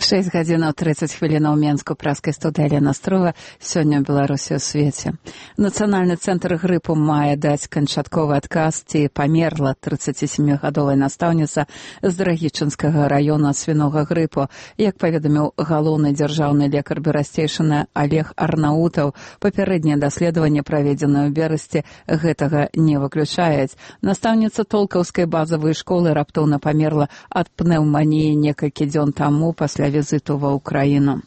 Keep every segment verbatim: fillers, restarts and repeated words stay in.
шэсць гадзінаў трыццаць хвілінаў Менску, праскай студыі Алена Строва. Сёння ў Беларусі ў свеце. Нацыянальны цэнтр грыпу мае даць канчатковы адказ, ці памерла трыццацісямігадовая настаўніца з Драгічынскага раёна ад свінога грыпу. Як паведаміў галоўны дзяржаўны лекар Берасцейшына Олег Арнаутаў, папярэднее даследаванне, праведзенае ў берасці, гэтага не выключаюць. Настаўніца толкаўскай базавай школы раптоўна памерла ад пнеўманіі некалькі дзён таму пасля візіту ва Ўкраіну.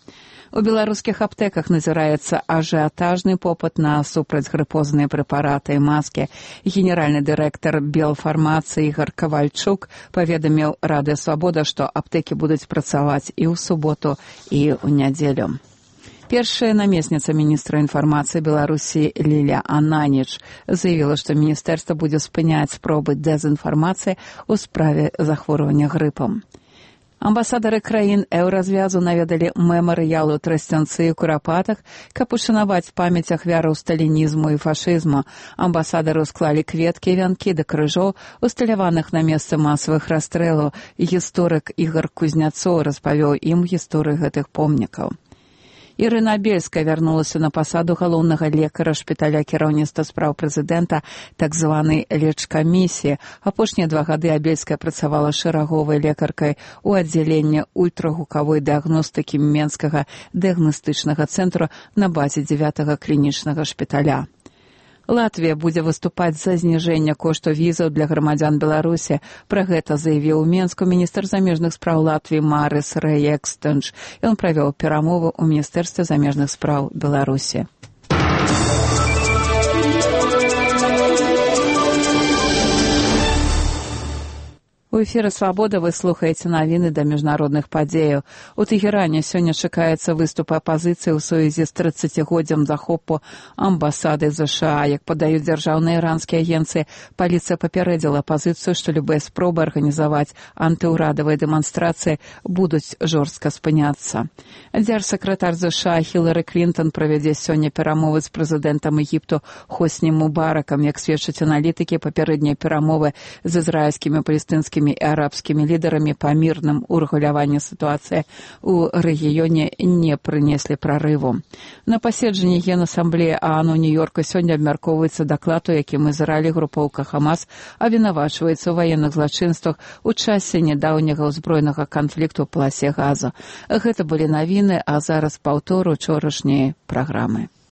У беларускіх аптэках назіраецца ажыятажны попыт на супрацьгрыпозныя прэпараты і маскі. Генеральны дырэктар Белфармацыі Ігор Кавальчук паведаміў Радыё Свабода, што аптэкі будуць працаваць і ў суботу, і ў нядзелю. Першая намесніца міністра інфармацыі Беларусі Ліля Ананіч заявіла, што міністэрства будзе спыняць спробы дэзінфармацыі ў справе захворвання грыпам. Амбасадары краін еўразвязу наведалі мемарыялу Трасцянцы і Курапатах, каб ушанаваць памяць ахвяраў сталінізму і фашызму. Амбасадары склалі кветкі і вянкі да крыжоў, усталяваных на месцы масавых расстрэлаў. Гісторык Ігор Кузняцоў распавёў ім гісторыю гэтых помнікаў. Ірына Бельская вярнулася на пасаду галоўнага лекара шпіталя кіраўніцтва спраў прэзідэнта, так званай лечкамісіі. Апошнія два гады Абельская працавала шэраговай лекаркай у аддзяленні ультрагукавой дыягностыкі Менскага дыягнастычнага цэнтру на базе дзявятага клінічнага шпіталя. Латвія будзе выступаць за зніжэнне кошту візаў для грамадзян Беларусі. Пра гэта заявіў у Менску міністр замежных спраў Латвіі Марыс Рэекстэнш. Ён правёў перамовы ў Міністэрстве замежных спраў Беларусі. У эфіры «Свабода» вы слухаеце навіны да міжнародных падзеяў. У Тэгеране сёння чакаецца выступ апазіцыі ў сувязі з трыццацігоддзям захопу амбасады ЗША. Як падаюць дзяржаўныя іранскія агенцыі, паліцыя папярэдзіла апазіцыю, што любыя спробы арганізаваць антыўрадавыя дэманстрацыі будуць жорстка спыняцца. Дзяржсакратар ЗША Хілары Клінтон правядзе сёння перамовы з прэзідэнтам Егіпту Хосні Мубаракам. Як сведчаць аналітыкі, папярэднія перамовы з ізраільскімі палестынскімі і арабскімі лідарамі па мірным урэгуляванні сітуацыі ў рэгіёне не прынеслі прарыву. На паседжанні Генасамблеі ААН у Нью-Йорку сёння абмяркоўваецца даклад, у якім Ізраіль, групоўка Хамас, абвінавачваецца ў ваенных злачынствах у часе нядаўняга ўзброенага канфлікту ў паласе Газа. Гэта былі навіны, а зараз паўтор учорашняй праграмы.